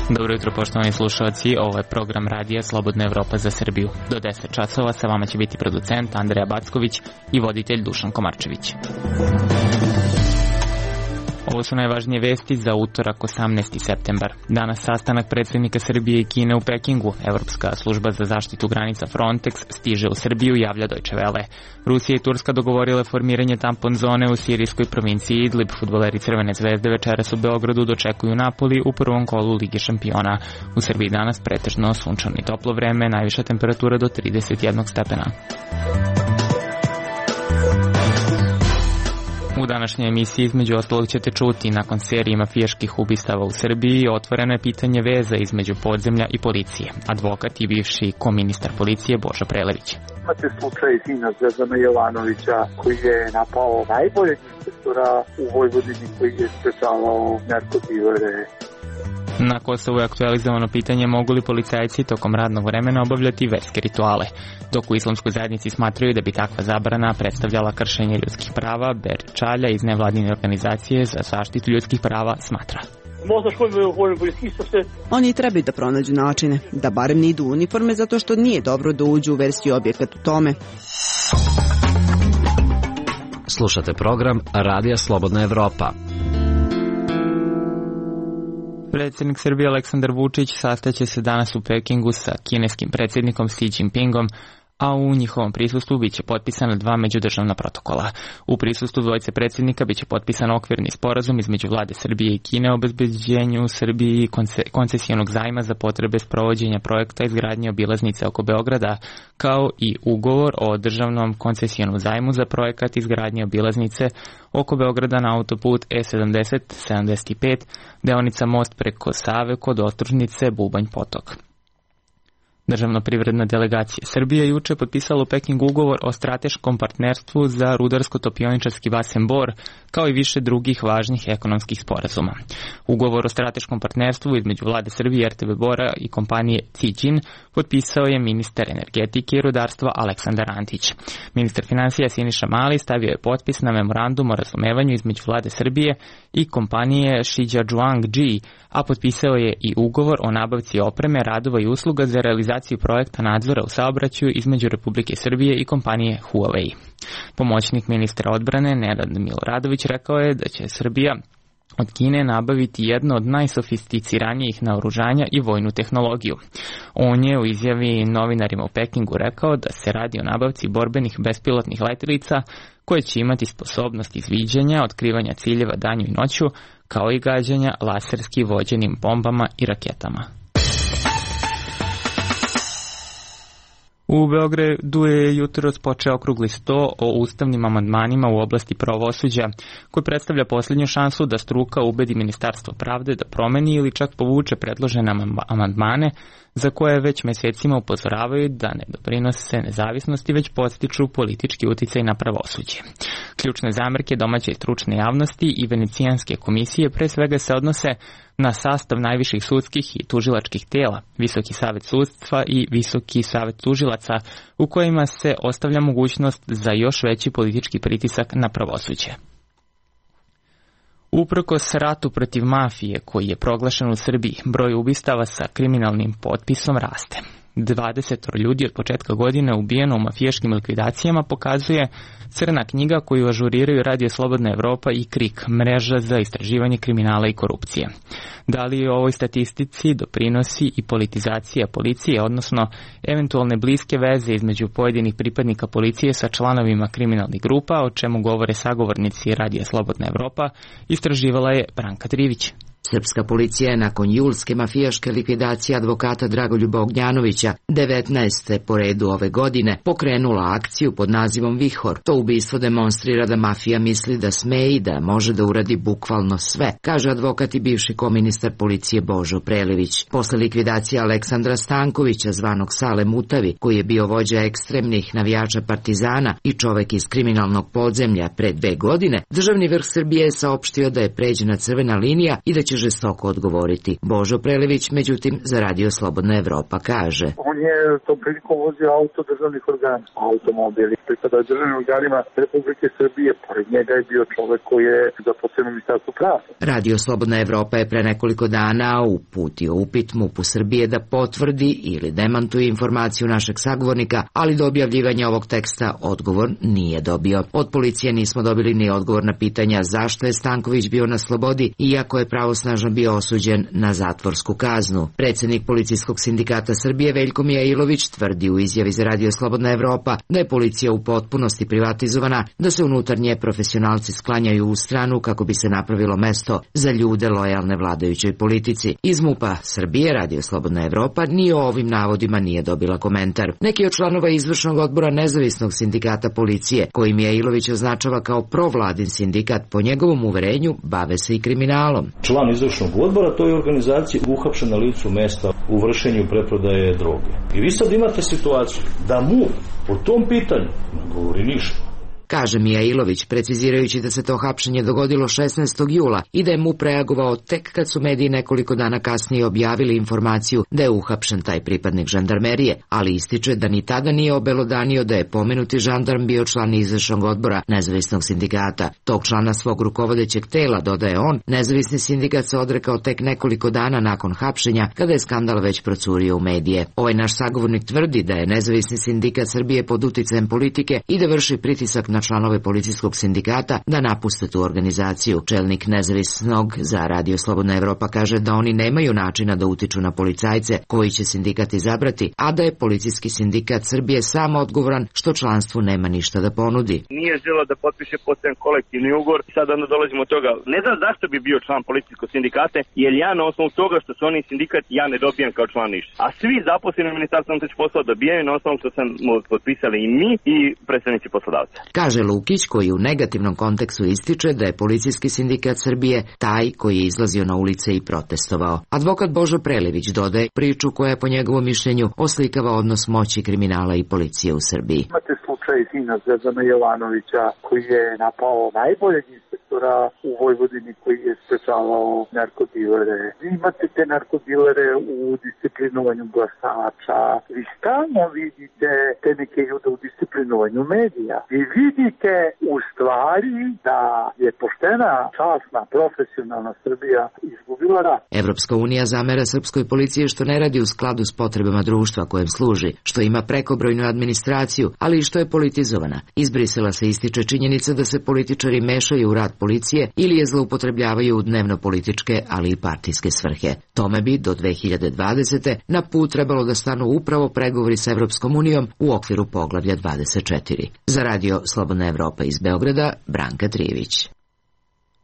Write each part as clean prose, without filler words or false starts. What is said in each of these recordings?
Dobro jutro, poštovani slušalci, ovo je program radija Slobodna Evropa za Srbiju. Do 10 časova sa vama će biti producent Andreja Backović i voditelj Dušan Komarčević. Ovo su najvažnije vesti za utorak 18. septembar. Danas sastanak predsjednika Srbije i Kine u Pekingu. Evropska služba za zaštitu granica Frontex stiže u Srbiju, javlja Deutsche Welle. Rusija i Turska dogovorile formiranje tampon zone u sirijskoj provinciji Idlib. Fudbaleri Crvene zvezde večeras u Beogradu dočekuju Napoli u prvom kolu Lige šampiona. U Srbiji danas pretežno sunčano i toplo vreme, najviša temperatura do 31 stepena. U današnjoj emisiji između ostalog ćete čuti, nakon serije mafijaških ubistava u Srbiji, otvoreno je pitanje veza između podzemlja i policije. Advokat i bivši koministar policije Božo Prelević. Imate slučaj sina Zvezdana Jovanovića koji je napao najboljeg inspektora u Vojvodini koji je sprečavao narkodilere. Na Kosovu je aktualizovano pitanje mogu li policajci tokom radnog vremena obavljati verske rituale, dok u islamskoj zajednici smatraju da bi takva zabrana predstavljala kršenje ljudskih prava. Ber Čalja iz nevladine organizacije za zaštitu ljudskih prava smatra. Oni trebaju da pronađu načine, da barem ne idu u uniforme zato što nije dobro da uđu u verski objekat u tome. Slušate program Radija Slobodna Evropa. Predsjednik Srbije Aleksandar Vučić sastaće se danas u Pekingu sa kineskim predsjednikom Xi Jinpingom, a u njihovom prisustvu biće potpisana 2 međudržavna protokola. U prisustvu dvojice predsjednika biće potpisan okvirni sporazum između vlade Srbije i Kine o obezbeđenju Srbiji koncesijonog zajma za potrebe sprovođenja projekta izgradnje obilaznice oko Beograda, kao i ugovor o državnom koncesijonom zajmu za projekat izgradnje obilaznice oko Beograda na autoput E70-75, deonica most preko Save kod Ostružnice Bubanj Potok. Državno-privredna delegacija Srbije juče potpisala u Pekingu ugovor o strateškom partnerstvu za rudarsko-topioničarski basen Bor, kao i više drugih važnih ekonomskih sporazuma. Ugovor o strateškom partnerstvu između vlade Srbije, RTB Bora i kompanije Zijin potpisao je ministar energetike i rudarstva Aleksandar Antić. Ministar finansija Siniša Mali stavio je potpis na memorandum o razumevanju između vlade Srbije i kompanije Shijiazhuang Ji, a potpisao je i ugovor o nabavci opreme, radova i usluga za realizaciju projekta nadzora u saobraćaju između Republike Srbije i kompanije Huawei. Pomoćnik ministra odbrane Nenad Miloradović rekao je da će Srbija od Kine nabaviti jedno od najsofisticiranijih naoružanja i vojnu tehnologiju. On je u izjavi novinarima u Pekingu rekao da se radi o nabavci borbenih bespilotnih letelica koje će imati sposobnost izviđanja, otkrivanja ciljeva danju i noću, kao i gađanja laserski vođenim bombama i raketama. U Beogradu je jutros počeo okrugli sto o ustavnim amandmanima u oblasti pravosuđa, koji predstavlja posljednju šansu da struka ubedi Ministarstvo pravde da promeni ili čak povuče predložene amandmane za koje već mesecima upozoravaju da ne doprinose nezavisnosti, već podstiču politički uticaj na pravosuđe. Ključne zamerke domaće i stručne javnosti i Venecijanske komisije pre svega se odnose na sastav najviših sudskih i tužilačkih tela, Visoki savet sudstva i Visoki savet tužilaca, u kojima se ostavlja mogućnost za još veći politički pritisak na pravosuđe. Uprkos ratu protiv mafije koji je proglašen u Srbiji, broj ubistava sa kriminalnim potpisom raste. 20 ljudi od početka godine ubijeno u mafijaškim likvidacijama pokazuje crna knjiga koju ažuriraju Radio Slobodna Evropa i KRIK, mreža za istraživanje kriminala i korupcije. Da li ovoj statistici doprinosi i politizacija policije, odnosno eventualne bliske veze između pojedinih pripadnika policije sa članovima kriminalnih grupa, o čemu govore sagovornici Radio Slobodna Evropa, istraživala je Branka Trivić. Srpska policija je nakon julske mafijaške likvidacije advokata Dragoljuba Ognjanovića 19. po redu ove godine pokrenula akciju pod nazivom Vihor. To ubistvo demonstrira da mafija misli da sme i da može da uradi bukvalno sve, kaže advokat i bivši koministar policije Božo Prelević. Posle likvidacije Aleksandra Stankovića, zvanog Sale Mutavi, koji je bio vođa ekstremnih navijača Partizana i čovek iz kriminalnog podzemlja pre 2 godine, državni vrh Srbije je saopštio da je pređena crvena linija i da će će žestoko odgovoriti. Božo Prelević, međutim, za Radio Slobodna Evropa kaže: On je tom prilikom vozio auto državnih organa, automobili pripada državnim organima Republike Srbije, pored njega je bio čovek koji je zaposlen u Ministarstvu pravde. Radio Slobodna Evropa je pre nekoliko dana uputio upit MUP-u Srbije da potvrdi ili demantuje informaciju našeg sagovornika, ali do objavljivanja ovog teksta odgovor nije dobio. Od policije nismo dobili ni odgovor na pitanja zašto je Stanković bio na slobodi, iako je pravosnažno bio osuđen na zatvorsku kaznu. Predsednik Policijskog sindikata Srbije Veljko Mijailović tvrdi u izjavi za Radio Slobodna Evropa da je policija u potpunosti privatizovana, da se unutarnje profesionalci sklanjaju u stranu kako bi se napravilo mesto za ljude lojalne vladajućoj politici. Iz MUP-a Srbije Radio Slobodna Evropa ni o ovim navodima nije dobila komentar. Neki od članova izvršnog odbora nezavisnog sindikata policije, koji Mijailović označava kao provladin sindikat, po njegovom uverenju bave se i kriminalom. Član izvršnog odbora toj organizaciji uhapšen na licu mesta u vršenju preprodaje droge. I vi sad imate situaciju da MUP po tom pitanju ne govori ništa. Kaže Mijailović, precizirajući da se to hapšenje dogodilo 16. jula i da je MUP reagovao tek kad su mediji nekoliko dana kasnije objavili informaciju da je uhapšen taj pripadnik žandarmerije, ali ističe da ni tada nije obelodanio da je pomenuti žandarm bio član izvršnog odbora nezavisnog sindikata. Tog člana svog rukovodećeg tela, dodaje on, nezavisni sindikat se odrekao tek nekoliko dana nakon hapšenja, kada je skandal već procurio u medije. Ovaj naš sagovornik tvrdi da je nezavisni sindikat Srbije pod uticajem politike i da vrši pritisak na članove policijskog sindikata da napuste tu organizaciju. Čelnik nezavisnog za Radio Slobodna Evropa kaže da oni nemaju načina da utiču na policajce koji će sindikat izabrati, a da je policijski sindikat Srbije sam odgovoran što članstvu nema ništa da ponudi. Nije želeo da potpiše postojan kolektivni ugovor. Sada dolazimo od toga. Ne znam zašto bi bio član policijskog sindikata, jer ja na osnovu toga što su oni sindikat, ja ne dobijam kao član ništa. A svi zaposleni u Ministarstvu unutrašnjih poslova dobijaju na osnovu što sam potpisali i mi i predstavnici poslodavca. Kaže Lukić, koji u negativnom kontekstu ističe da je policijski sindikat Srbije taj koji je izlazio na ulice i protestovao. Advokat Božo Prelević dodaje priču koja je po njegovom mišljenju oslikava odnos moći kriminala i policije u Srbiji. Imate slučaj sina Zvezdana Jovanovića koji je napao najboljeg inspektora u Vojvodini koji je sprečavao narkodilere. Vi imate te narkodilere u disciplinovanju glasača. Vi stalno vidite te neke ljude u disciplinovanju medija. Vi vidite u stvari da je poštena, časna, profesionalna Srbija izgubila rat. Evropska unija zamera srpskoj policiji što ne radi u skladu s potrebama društva kojem služi, što ima prekobrojnu administraciju, ali i što je politizovana. Iz Brisela se ističe činjenica da se političari mešaju u rad policije ili je zloupotrebljavaju u dnevno-političke, ali i partijske svrhe. Tome bi do 2020. na put trebalo da stanu upravo pregovori s Evropskom unijom u okviru poglavlja 24. Za Radio Slobodna Evropa iz Beograda, Branka Trijević.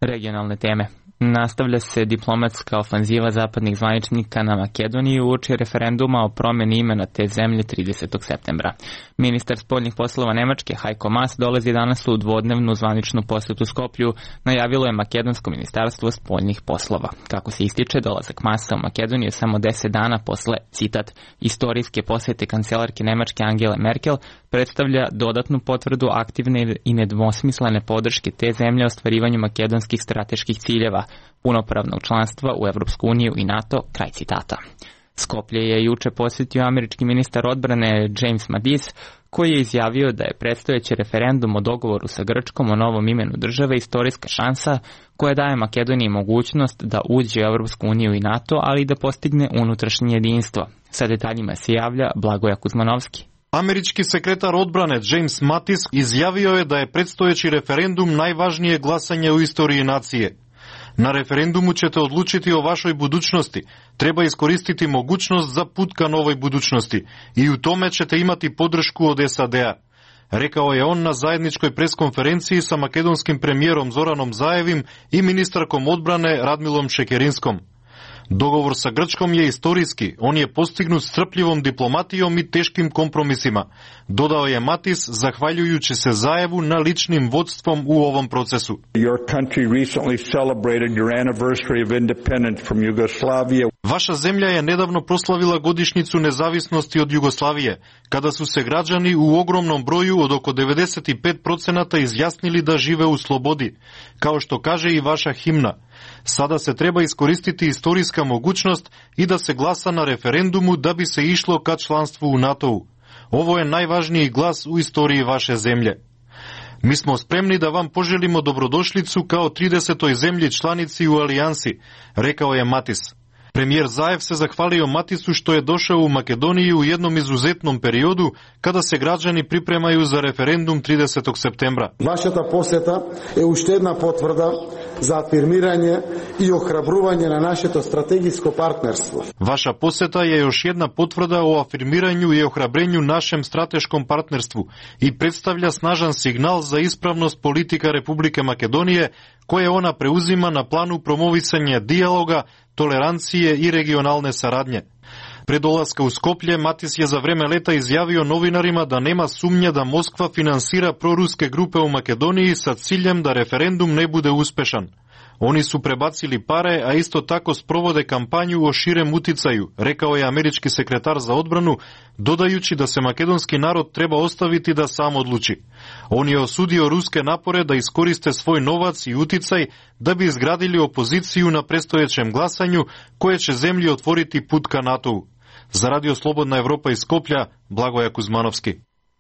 Regionalne teme. Nastavlja se diplomatska ofanziva zapadnih zvaničnika na Makedoniju uoči referenduma o promeni imena te zemlje 30. septembra. Ministar spoljnih poslova Nemačke Heiko Maas dolazi danas u dvodnevnu zvaničnu posetu Skoplju, najavilo je makedonsko ministarstvo spoljnih poslova. Kako se ističe, dolazak Maasa u Makedoniju samo 10 dana posle, citat, istorijske posete kancelarke Nemačke Angele Merkel predstavlja dodatnu potvrdu aktivne i nedvosmislene podrške te zemlje ostvarivanju makedonskih strateških ciljeva, punopravnog članstva u Evropsku uniju i NATO, kraj citata. Skoplje je juče posjetio američki ministar odbrane James Mattis, koji je izjavio da je predstojeći referendum o dogovoru sa Grčkom o novom imenu države istorijska šansa koja daje Makedoniji mogućnost da uđe u Evropsku uniju i NATO, ali i da postigne unutrašnje jedinstvo. Sa detaljima se javlja Blagoja Kuzmanovski. Američki sekretar odbrane James Mattis izjavio je da je predstojeći referendum najvažnije glasanje u istoriji nacije. Na referendumu ćete odlučiti o vašoj budućnosti. Treba iskoristiti mogućnost za put ka novoj budućnosti i u tome ćete imati podršku od SAD-a. Rekao je on na zajedničkoj preskonferenciji sa makedonskim premijerom Zoranom Zaevim i ministarkom odbrane Radmilom Šekerinskom. Dogovor sa Grčkom je istorijski, on je postignut strpljivom diplomatijom i teškim kompromisima, dodao je Mattis zahvaljujući se Zaevu na ličnim vodstvom u ovom procesu. Vaša zemlja je nedavno proslavila godišnjicu nezavisnosti od Jugoslavije, kada su se građani u ogromnom broju od oko 95% izjasnili da žive u slobodi, kao što kaže i vaša himna. Sada se treba iskoristiti istorijska mogućnost i da se glasa na referendumu da bi se išlo ka članstvu u NATO-u. Ovo je najvažniji glas u istoriji vaše zemlje. Mi smo spremni da vam poželimo dobrodošlicu kao 30. zemlji članici u alijansi, rekao je Matis. Premijer Zaev se zahvalio Matisu što je došao u Makedoniju u jednom izuzetnom periodu kada se građani pripremaju za referendum 30. septembra. Vašата poseta je уште една потврда za afirmiranje i ohrabruvanje na našето strategijsko partnerstvo. Vaša poseta je još jedna potvrda o afirmiranju i ohrabrenju našem strateškom partnerstvu i predstavlja snažan signal za ispravnost politika Republike Makedonije koje ona preuzima na planu promovisanja dijaloga, tolerancije i regionalne saradnje. Pre dolaska u Skoplje, Matis je za vreme leta izjavio novinarima da nema sumnje da Moskva finansira proruske grupe u Makedoniji sa ciljem da referendum ne bude uspešan. Oni su prebacili pare, a isto tako sprovode kampanju o širem uticaju, rekao je američki sekretar za odbranu, dodajući da se makedonski narod treba ostaviti da sam odluči. On je osudio ruske napore da iskoriste svoj novac i uticaj da bi izgradili opoziciju na predstojećem glasanju koje će zemlji otvoriti put ka NATO-u. Za Radio Slobodna Evropa iz Skoplja, Blagoja Kuzmanovski.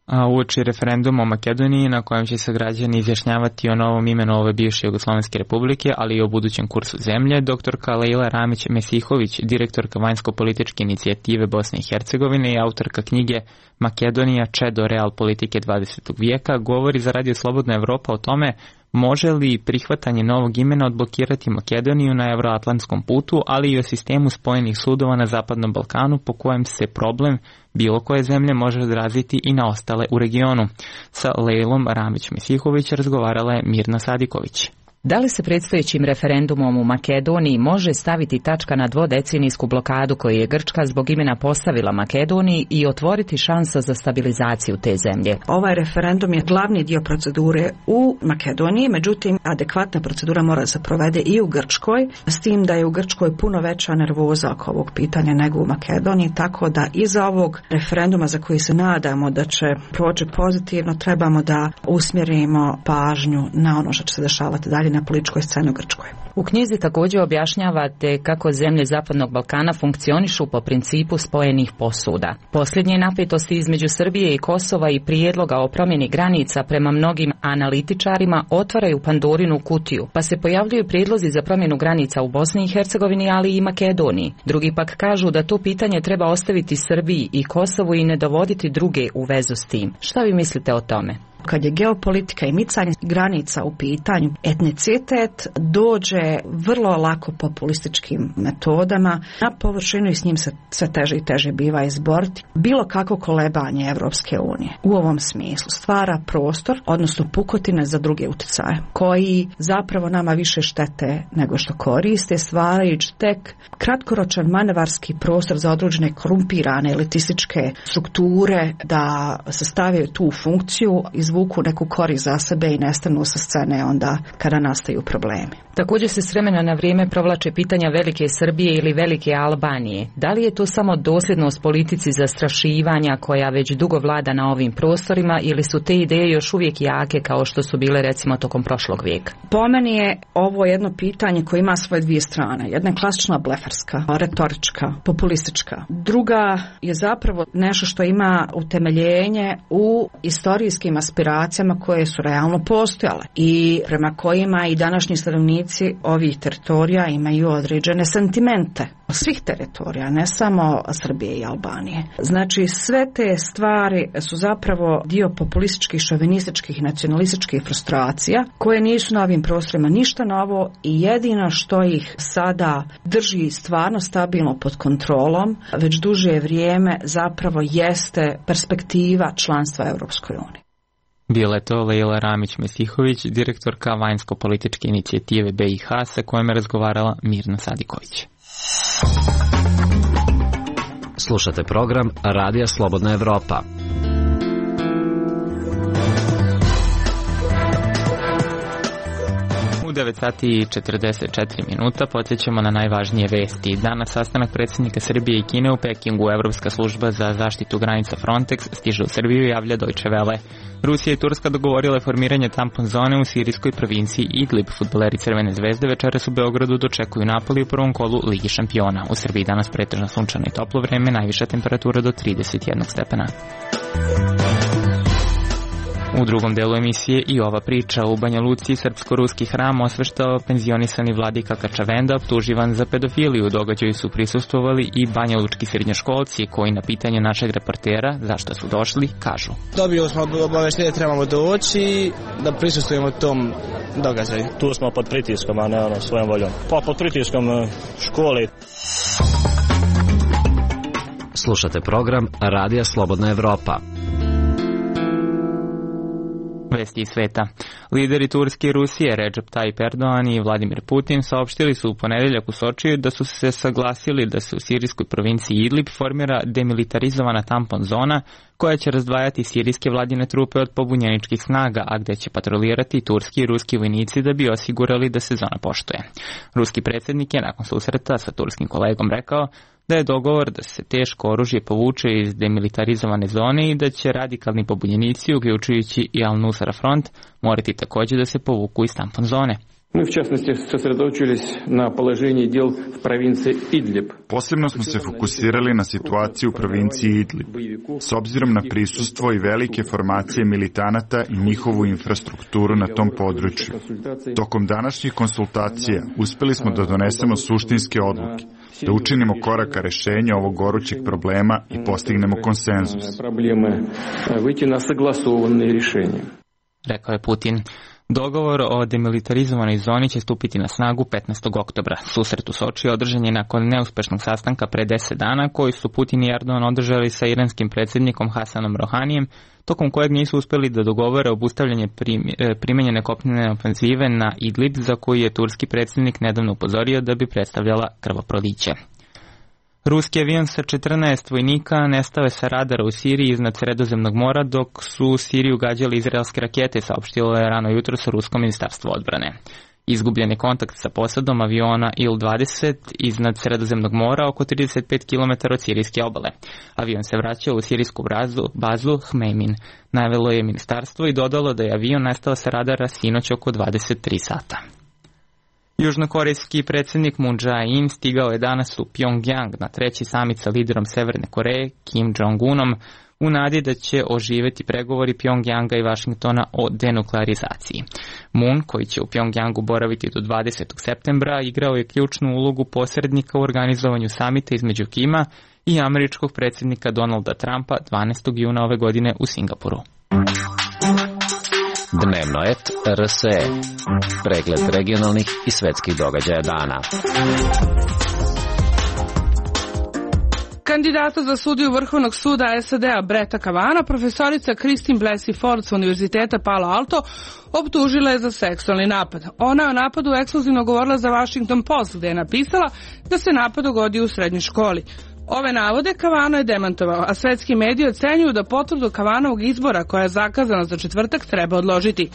A uoči referenduma o Makedoniji na kojem će se građani izjašnjavati o novom imenu ove bivše Jugoslovenske republike, ali i o budućem kursu zemlje, doktorka Leila Ramić-Mesihović, direktorka vanjsko-političke inicijative Bosne i Hercegovine i autorka knjige Makedonija Čedo real politike 20. vijeka, govori za Radio Slobodna Evropa o tome može li prihvatanje novog imena odblokirati Makedoniju na evroatlantskom putu, ali i o sistemu spojenih sudova na Zapadnom Balkanu po kojem se problem bilo koje zemlje može odraziti i na ostale u regionu. Sa Leilom Ramić-Mesihović razgovarala je Mirna Sadiković. Da li se predstojećim referendumom u Makedoniji može staviti tačka na dvodecenijsku blokadu koju je Grčka zbog imena postavila Makedoniji i otvoriti šansa za stabilizaciju te zemlje? Ovaj referendum je glavni dio procedure u Makedoniji, međutim adekvatna procedura mora se provede i u Grčkoj, s tim da je u Grčkoj puno veća nervoza oko ovog pitanja nego u Makedoniji, tako da iza ovog referenduma za koji se nadamo da će proći pozitivno, trebamo da usmjerimo pažnju na ono što će se dešavati dalje na političkoj sceni u Grčkoj. U knjizi također objašnjavate kako zemlje Zapadnog Balkana funkcionišu po principu spojenih posuda. Posljednje napetosti između Srbije i Kosova i prijedloga o promjeni granica prema mnogim analitičarima otvaraju Pandorinu kutiju, pa se pojavljuju prijedlozi za promjenu granica u Bosni i Hercegovini, ali i Makedoniji. Drugi pak kažu da to pitanje treba ostaviti Srbiji i Kosovu i ne dovoditi druge u vezu s tim. Šta vi mislite o tome? Kad je geopolitika i micanje granica u pitanju, etnicitet dođe vrlo lako populističkim metodama na površinu i s njim se sve teže i teže biva izboriti. Bilo kako kolebanje Evropske unije u ovom smislu stvara prostor, odnosno pukotine za druge utjecaje, koji zapravo nama više štete nego što koriste, stvarajući tek kratkoročan manevarski prostor za određene korumpirane elitističke strukture da se stave tu funkciju, izvuku neku korist za sebe i nestanu sa scene onda kada nastaju problemi. Također se s vremena na vrijeme provlače pitanja Velike Srbije ili Velike Albanije. Da li je to samo dosljednost politici zastrašivanja koja već dugo vlada na ovim prostorima ili su te ideje još uvijek jake kao što su bile recimo tokom prošlog vijeka? Po meni je ovo jedno pitanje koje ima svoje dvije strane. Jedna je klasična blefarska, retorička, populistička. Druga je zapravo nešto što ima utemeljenje u istorijskim aspiracijama koje su realno postojale i prema kojima i današnji stanovnici ovih teritorija imaju određene sentimente. Svih teritorija, ne samo Srbije i Albanije. Znači sve te stvari su zapravo dio populističkih, šovinističkih i nacionalističkih frustracija koje nisu na ovim prostorima ništa novo i jedino što ih sada drži stvarno stabilno pod kontrolom već duže vrijeme zapravo jeste perspektiva članstva Europskoj uniji. Bila je to Leila Ramić-Mesihović, direktorka vanjsko-političke inicijative BiH, sa kojom je razgovarala Mirna Sadiković. Slušate program Radija Slobodna Evropa. 9 sati i 44 minuta, podsjećamo na najvažnije vesti. Danas sastanak predsjednika Srbije i Kine u Pekingu. Evropska služba za zaštitu granica Frontex stiže u Srbiju, javlja Deutsche Welle. Rusija i Turska dogovorile formiranje tampon zone u sirijskoj provinciji Idlib. Fudbaleri Crvene zvezde večeras u Beogradu dočekuju Napoli u prvom kolu Ligi šampiona. U Srbiji danas pretežno sunčano i toplo vreme, najviša temperatura do 31 stepena. U drugom delu emisije i ova priča. U Banja Luci srpsko-ruski hram osveštao penzionisani vladika Kačavenda, optuživan za pedofiliju. Događaju su prisustvovali i banjalučki srednjoškolci koji na pitanje našeg reportera zašto su došli kažu: Dobio smo obaveštenje da trebamo doći da prisustvujemo tom događaju. Tu smo pod pritiskom, a ne svojom voljom. Pa pod pritiskom škole. Slušate program Radija Slobodna Evropa. Vesti iz sveta. Lideri Turske i Rusije Recep Tayyip Erdogan i Vladimir Putin saopštili su u ponedeljak u Sočiju da su se saglasili da se u sirijskoj provinciji Idlib formira demilitarizovana tampon zona koja će razdvajati sirijske vladine trupe od pobunjeničkih snaga, a gde će patrolirati turski i ruski vojnici da bi osigurali da se zona poštuje. Ruski predsjednik je nakon susreta sa turskim kolegom rekao da je dogovor da se teško oružje povuče iz demilitarizovane zone i da će radikalni pobunjenici, uključujući i Al-Nusra front, morati također da se povuku iz tampon zone. Мы, в частности, сосредоточились на положении дел в провинции Идлиб. Posebno smo se fokusirali na situaciju u provinciji Idlib, s obzirom na prisustvo i velike formacije militanata i njihovu infrastrukturu na tom području. Tokom današnjih konsultacija uspeli smo da donesemo suštinske odluke, da učinimo korak ka rešenju ovog gorućeg problema i postignemo konsenzus. Rekao je Putin. Dogovor o demilitarizovanoj zoni će stupiti na snagu 15. oktobra. Susret u Soči održan je nakon neuspešnog sastanka pre 10 dana koji su Putin i Erdogan održali sa iranskim predsjednikom Hasanom Rohanijem, tokom kojeg nisu uspeli da dogovore obustavljanje primenjene kopnene ofenzive na Idlib, za koju je turski predsjednik nedavno upozorio da bi predstavljala krvoproliće. Ruski avion sa 14 vojnika nestao je sa radara u Siriji iznad Sredozemnog mora dok su u Siriju gađali izraelske rakete, saopštilo je rano jutro sa Rusko ministarstvo odbrane. Izgubljen je kontakt sa posadom aviona Il-20 iznad Sredozemnog mora oko 35 km od sirijske obale. Avion se vraćao u sirijsku bazu Hmeimin, navelo je ministarstvo i dodalo da je avion nestao sa radara sinoć oko 23 sata. Južnokorejski predsjednik Moon Jae-in stigao je danas u Pyongyang na treći samit sa liderom Severne Koreje Kim Jong-unom u nadi da će oživjeti pregovori Pyongyanga i Vašingtona o denuklearizaciji. Moon, koji će u Pyongyangu boraviti do 20. septembra, igrao je ključnu ulogu posrednika u organizovanju samita između Kima i američkog predsjednika Donalda Trumpa 12. juna ove godine u Singapuru. Dnevno et RSE. Pregled regionalnih i svetskih događaja dana. Kandidata za sudiju Vrhovnog suda SAD-a Bretta Kavanagha, profesorica Christine Blasey Ford sa Univerziteta Palo Alto, optužila je za seksualni napad. Ona je o napadu ekskluzivno govorila za Washington Post, gde je napisala da se napad dogodio u srednjoj školi. Ove navode Kavanagh je demantovao, a svetski mediji ocenjuju da potvrdu Kavanagovog izbora koja je zakazana za četvrtak treba odložiti.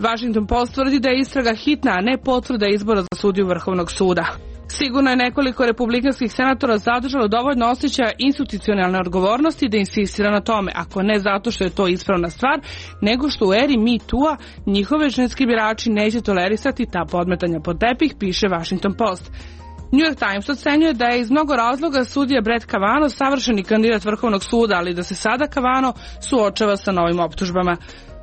Washington Post tvrdi da je istraga hitna, a ne potvrda izbora za sudiju Vrhovnog suda. Sigurno je nekoliko republikanskih senatora zadržalo dovoljno osjećaja institucionalne odgovornosti da insistira na tome, ako ne zato što je to ispravna stvar, nego što u eri Me Too-a njihove ženski birači neće tolerisati ta podmetanja pod tepih, piše Washington Post. New York Times ocenjuje da je iz mnogo razloga sudija Brett Kavanaugh savršeni kandidat Vrhovnog suda, ali da se sada Kavanaugh suočava sa novim optužbama.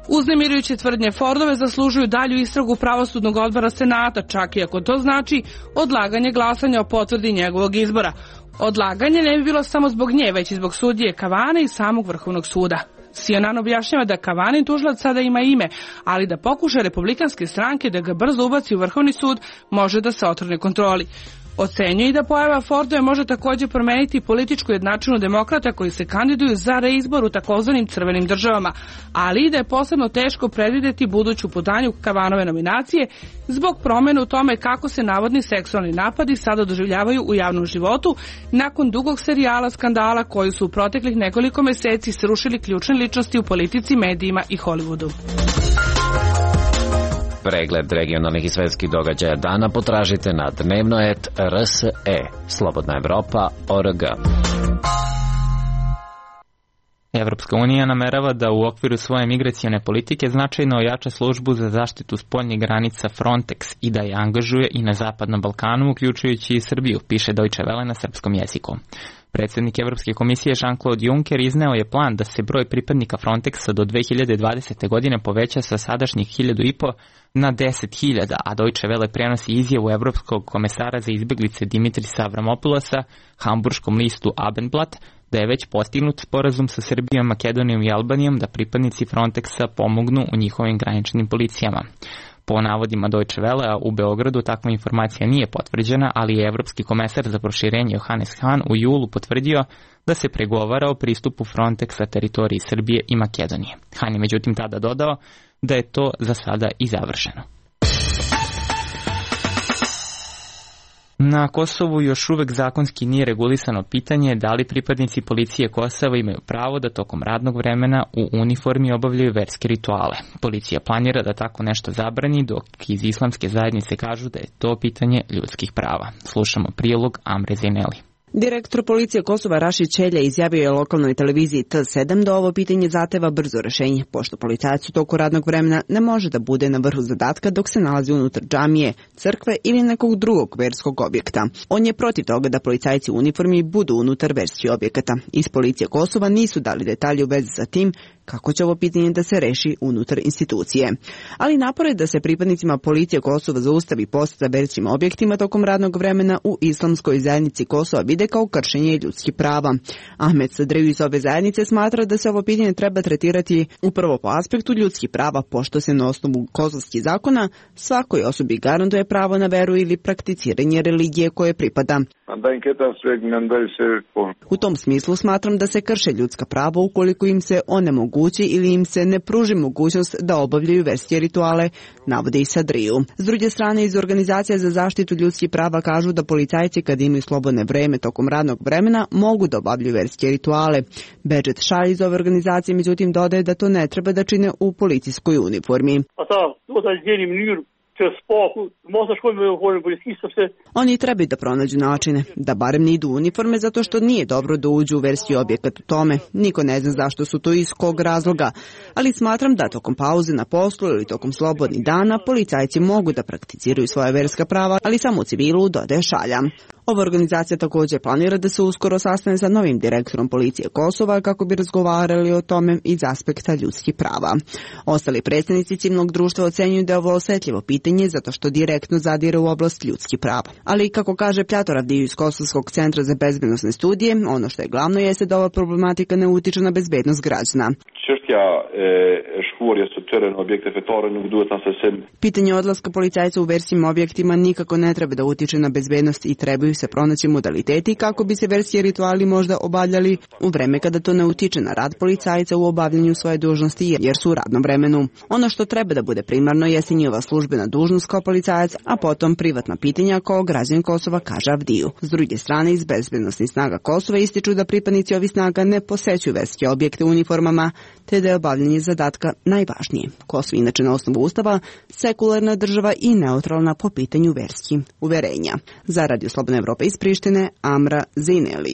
Uznemirujuće tvrdnje Fordove zaslužuju dalju istragu pravosudnog odbora Senata, čak i ako to znači odlaganje glasanja o potvrdi njegovog izbora. Odlaganje ne bi bilo samo zbog nje, već i zbog sudije Kavanaugha i samog Vrhovnog suda. CNN objašnjava da Kavanaugh tužilac sada ima ime, ali da pokuša republikanske stranke da ga brzo ubaci u Vrhovni sud može da se otrgne kontroli. Ocenjuje i da pojava Fordove može također promeniti političku jednačinu demokrata koji se kandiduju za reizbor u takozvanim crvenim državama, ali i da je posebno teško predvideti buduću putanju Kavanove nominacije zbog promjene u tome kako se navodni seksualni napadi sada doživljavaju u javnom životu nakon dugog serijala skandala koji su u proteklih nekoliko meseci srušili ključne ličnosti u politici, medijima i Hollywoodu. Pregled regionalnih i svetskih događaja dana potražite na dnevno.rse, slobodnaevropa.org. Evropska unija namerava da u okviru svoje migracione politike značajno ojača službu za zaštitu spoljnih granica Frontex i da je angažuje i na Zapadnom Balkanu, uključujući i Srbiju, piše Deutsche Welle na srpskom jeziku. Predsjednik Evropske komisije Jean-Claude Juncker izneo je plan da se broj pripadnika Frontexa do 2020. godine poveća sa sadašnjih 1.500 na 10.000, a Deutsche Welle prenosi izjavu Evropskog komesara za izbjeglice Dimitrisa Avramopulosa hamburškom listu Abendblatt da je već postignut sporazum sa Srbijom, Makedonijom i Albanijom da pripadnici Frontexa pomognu u njihovim graničnim policijama. Po navodima Deutsche Welle, u Beogradu takva informacija nije potvrđena, ali je Evropski komesar za proširenje Johannes Hahn u julu potvrdio da se pregovara o pristupu Frontexa teritoriji Srbije i Makedonije. Hahn je međutim tada dodao da je to za sada i završeno. Na Kosovu još uvek zakonski nije regulisano pitanje da li pripadnici policije Kosova imaju pravo da tokom radnog vremena u uniformi obavljaju verske rituale. Policija planira da tako nešto zabrani, dok iz islamske zajednice kažu da je to pitanje ljudskih prava. Slušamo prilog Amre Zineli. Direktor policije Kosova Rašid Čelja izjavio je lokalnoj televiziji T7 da ovo pitanje zahteva brzo rešenje, pošto policajac u toku radnog vremena ne može da bude na vrhu zadatka dok se nalazi unutar džamije, crkve ili nekog drugog verskog objekta. On je protiv toga da policajci u uniformi budu unutar verskih objekata. Iz policije Kosova nisu dali detalje u vezi sa tim kako će ovo pitanje da se reši unutar institucije. Ali napore da se pripadnicima policije Kosova zaustavi poseta verskim objektima tokom radnog vremena u islamskoj zajednici Kosova vide kao kršenje ljudskih prava. Ahmed Sadriju iz ove zajednice smatra da se ovo pitanje treba tretirati upravo po aspektu ljudskih prava, pošto se na osnovu kosovskih zakona svakoj osobi garantuje pravo na veru ili prakticiranje religije koje pripada. U tom smislu smatram da se krše ljudska prava ukoliko im se onemogući ili im se ne pruži mogućnost da obavljaju verske rituale, navode i Sadriju. S druge strane, iz Organizacije za zaštitu ljudskih prava kažu da policajci kad imaju slobodne vreme tokom radnog vremena mogu da obavljaju verske rituale. Bedžet Šalj iz ove organizacije međutim dodaje da to ne treba da čine u policijskoj uniformi. Oni trebaju da pronađu načine, da barem ne idu u uniforme zato što nije dobro da uđu u verski objekat u tome. Niko ne zna zašto su to i iz kog razloga, ali smatram da tokom pauze na poslu ili tokom slobodnih dana policajci mogu da prakticiraju svoje verska prava, ali samo u civilu, dodaje Šalja. Ova organizacija također planira da se uskoro sastane sa novim direktorom policije Kosova kako bi razgovarali o tome iz aspekta ljudskih prava. Ostali predstavnici civilnog društva ocenjuju da je ovo osetljivo pitanje zato što direktno zadire u oblast ljudskih prava. Ali kako kaže Pjator Avdiju iz Kosovskog centra za bezbednosne studije, ono što je glavno jeste da ova problematika ne utiče na bezbednost građana. Pitanje odlaska policajca u verskim objektima nikako ne treba da utiče na bezbednost i trebaju se pronaći modaliteti kako bi se verski rituali možda obavljali u vreme kada to ne utiče na rad policajca u obavljanju svoje dužnosti jer su u radnom vremenu. Ono što treba da bude primarno jeste njihova službena dužnost kao policajac, a potom privatna pitanja kao građanin Kosova, kaže Avdiju. S druge strane, iz bezbednosnih snaga Kosova ističu da pripadnici ovih snaga ne posećuju verske objekte u uniformama, te da je obavljanje zadatka najvažnije. Kosovo inače na osnovu ustava sekularna država i neutralna po pitanju verskih uverenja. Za Radio Slobodna Evropa iz Prištine, Amra Zineli.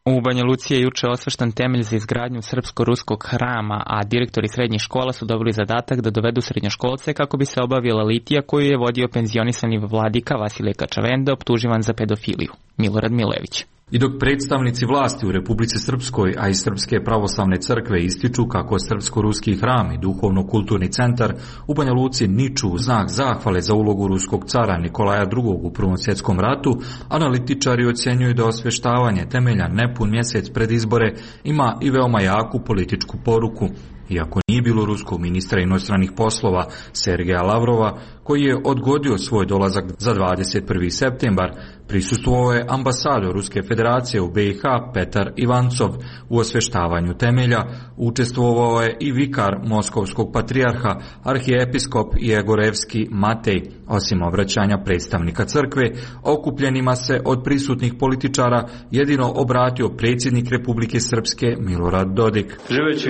U Banja Luci je juče osveštan temelj za izgradnju srpsko-ruskog hrama, a direktori srednjih škola su dobili zadatak da dovedu srednjoškolce kako bi se obavila litija koju je vodio penzionisani vladika Vasilije Kačavenda, optuživan za pedofiliju. Milorad Milević. I dok predstavnici vlasti u Republici Srpskoj, a i Srpske pravoslavne crkve ističu kako srpsko-ruski hram i duhovno-kulturni centar u Banja Luci niču u znak zahvale za ulogu ruskog cara Nikolaja II. U Prvom svjetskom ratu, analitičari ocjenjuju da osveštavanje temelja nepun mjesec pred izbore ima i veoma jaku političku poruku. Iako nije bilo ruskog ministra inostranih poslova Sergeja Lavrova, koji je odgodio svoj dolazak za 21. septembar. Prisustvovao je ambasador Ruske federacije u BiH Petar Ivancov u osveštavanju temelja, učestvovao je i vikar Moskovskog patrijarha, arhijepiskop Jegorevski Matej. Osim obraćanja predstavnika crkve, okupljenima se od prisutnih političara jedino obratio predsjednik Republike Srpske Milorad Dodik. Živeći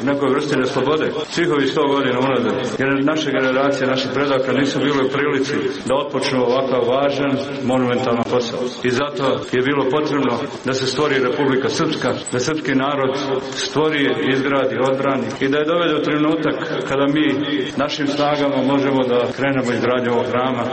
u nekoj vrsti neslobode, svih ovih 100 godina unazad, jer naše generacije, naših predaka nisu bile u prilici da otpočnu ovakav važan, monumentalan posao. I zato je bilo potrebno da se stvori Republika Srpska, da srpski narod stvori, izgradi, odbrani i da je dovede u trenutak kada mi našim snagama možemo da krenemo izgradnju ovog hrama.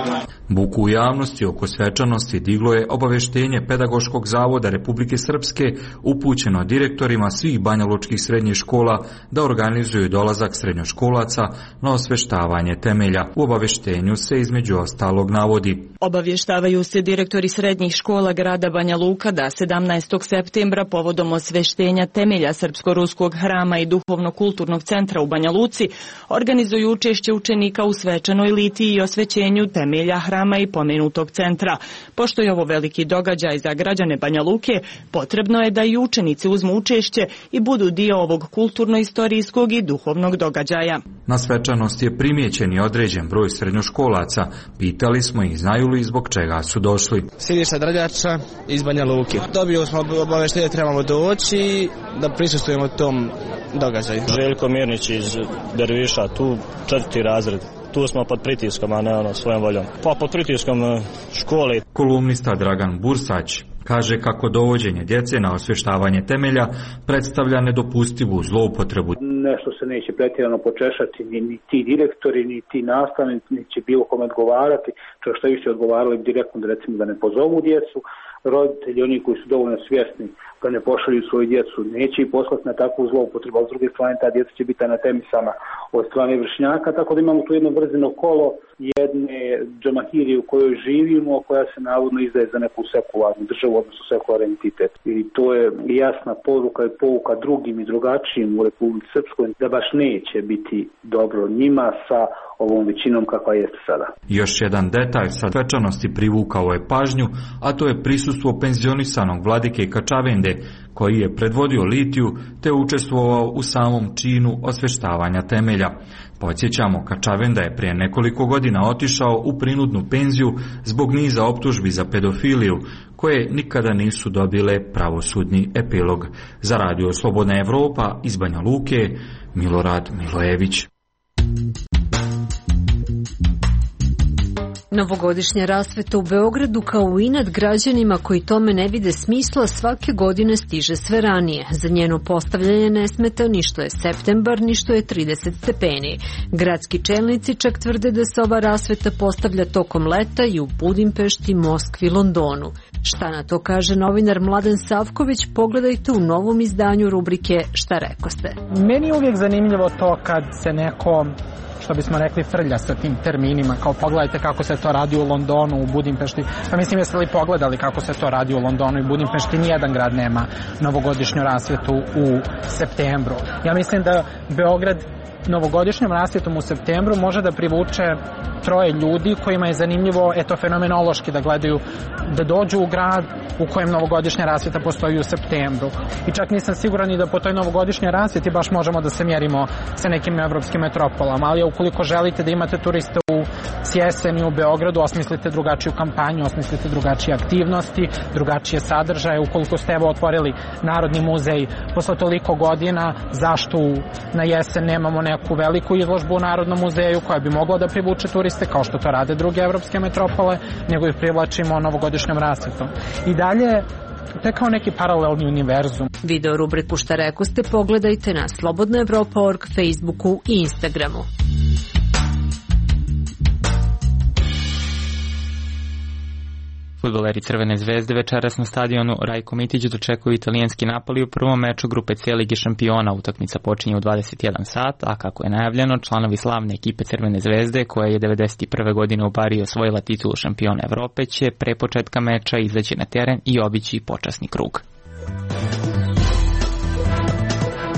Buku u javnosti oko svečanosti diglo je obaveštenje Pedagoškog zavoda Republike Srpske upućeno direktorima svih banjalučkih srednjih škola da organizuju dolazak srednjoškolaca na osveštavanje temelja. U obaveštenju se između ostalog navodi: obavještavaju se direktori srednjih škola grada Banja Luka da 17. septembra povodom osveštenja temelja Srpsko-ruskog hrama i duhovno-kulturnog centra u Banja Luci organizuju učešće učenika u svečanoj litiji i osvećenju temelja hrama i pomenutog centra. Pošto je ovo veliki događaj za građane Banja Luke, potrebno je da i učenici uzmu učešće i budu dio ovog kulturno-istorijskog i duhovnog događaja. Na svečanosti je primijećen i određen broj srednjoškolaca. Pitali smo ih znaju li zbog čega su došli. Siniša Drljača iz Banja Luke. Dobio smo obaveštenje da trebamo doći da prisustvujemo tom događaju. Željko Mirnić iz Derviša, tu 4. razred. Tu smo pod pritiskom, a ne svojom voljom. Pa pod pritiskom škole. Kolumnista Dragan Bursać kaže kako dovođenje djece na osvještavanje temelja predstavlja nedopustivu zloupotrebu. Nešto se neće pretjerano počešati, ni ti direktori, ni ti nastavnici, ni će bilo kome odgovarati, čak što više odgovarali direktno da recimo da ne pozovu djecu, roditelji, oni koji su dovoljno svjesni da ne pošalju svoju djecu, neće i poslati na takvu zloupotrebu, a s druge strane ta djeca će biti anatemisana od strane vršnjaka, tako da imamo tu jedno vrzino kolo jedne džamahirije u kojoj živimo, koja se navodno izdaje za neku sekularnu državu, odnosno sekularni entitet. I to je jasna poruka i pouka drugim i drugačijim u Republici Srpskoj da baš neće biti dobro njima sa ovom većinom kakva jeste sada. Još jedan detalj sa svečanosti privukao je pažnju, a to je prisustvo penzionisanog vladike Kačavende, koji je predvodio litiju te učestvovao u samom činu osveštavanja temelja. Podsjećamo, Kačavenda je prije nekoliko godina otišao u prinudnu penziju zbog niza optužbi za pedofiliju, koje nikada nisu dobile pravosudni epilog. Za Radio Slobodna Evropa iz Banja Luke, Milorad Milojević. Novogodišnja rasveta u Beogradu kao i inat građanima koji tome ne vide smisla svake godine stiže sve ranije. Za njeno postavljanje ne smeta ni što je septembar, ni što je 30 stepeni. Gradski čelnici čak tvrde da se ova rasveta postavlja tokom leta i u Budimpešti, Moskvi, Londonu. Šta na to kaže novinar Mladen Savković, pogledajte u novom izdanju rubrike Šta rekoste. Meni je uvijek zanimljivo to kad se neko, što bismo rekli, frlja sa tim terminima, kao pogledajte kako se to radi u Londonu, u Budimpešti. Pa mislim, jeste li pogledali kako se to radi u Londonu i Budimpešti? Nijedan grad nema novogodišnju rasvjetu u septembru. Ja mislim da Beograd novogodišnjom rasvjetom u septembru može da privuče 3 ljudi kojima je zanimljivo fenomenološki da gledaju, da dođu u grad u kojem novogodišnja rasvjeta postoji u septembru. I čak nisam siguran i da po toj novogodišnjoj rasvjeti baš možemo da se mjerimo sa nekim evropskim metropolama, ali ukoliko želite da imate turiste u jeseni u Beogradu, osmislite drugačiju kampanju, osmislite drugačije aktivnosti, drugačije sadržaje. Ukoliko ste otvorili Narodni muzej posle toliko godina, zašto na jesen nemamo neku veliku izložbu u Narodnom muzeju koja bi mogla da privuče turiste kao što to rade druge evropske metropole, nego ih privlačimo novogodišnjom rasvjetom. I dalje, to je kao neki paralelni univerzum. Video rubriku Šta rekoste pogledajte na slobodnaevropa.org, Facebooku i Instagramu. Fudbaleri Crvene zvezde večeras na stadionu Rajko Mitić dočekuju italijanski Napoli u prvom meču grupe C Lige šampiona. Utakmica počinje u 21 sat, a kako je najavljeno, članovi slavne ekipe Crvene zvezde, koja je 1991. godine u Bariji osvojila titulu šampiona Evrope, će pre početka meča izaći na teren i obići počasni krug.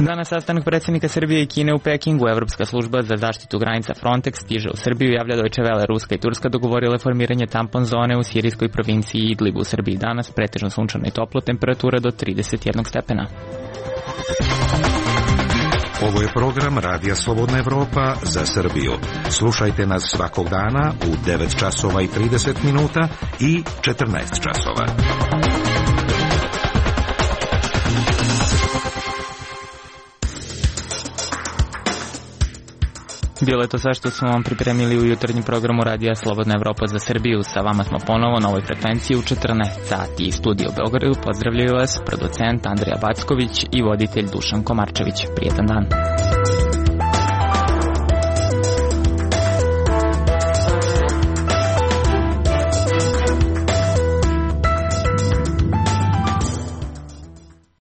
Danas sastanak predsjednika Srbije i Kine u Pekingu. Evropska služba za zaštitu granica Frontex stiže u Srbiju, javlja Deutsche Welle. Ruska i Turska dogovorile formiranje tampon zone u sirijskoj provinciji Idlib. U Srbiji danas pretežno sunčano i toplo, temperatura do 31 stepena. Ovo je program Radija Slobodna Evropa za Srbiju. Slušajte nas svakog dana u 9 časova i 30 minuta i 14 časova. Bilo je to sve što smo vam pripremili u jutarnjem programu Radija Slobodna Evropa za Srbiju. Sa vama smo ponovo na ovoj frekvenciji u 14 sati. Iz studija u Beogradu pozdravljaju vas producent Andrija Backović i voditelj Dušan Komarčević. Prijetan dan.